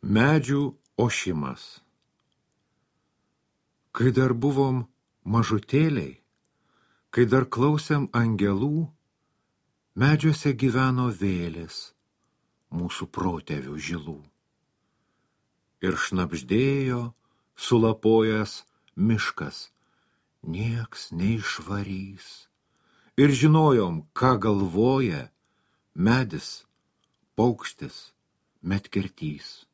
Medžių ošimas. Kai dar buvom mažutėliai, kai dar klausėm angelų, medžiuose gyveno vėlės, mūsų protėvių žilų. Ir šnabždėjo, sulapojęs miškas, nieks neišvarys. Ir žinojom, ką galvoja medis, paukštis, medkirtys.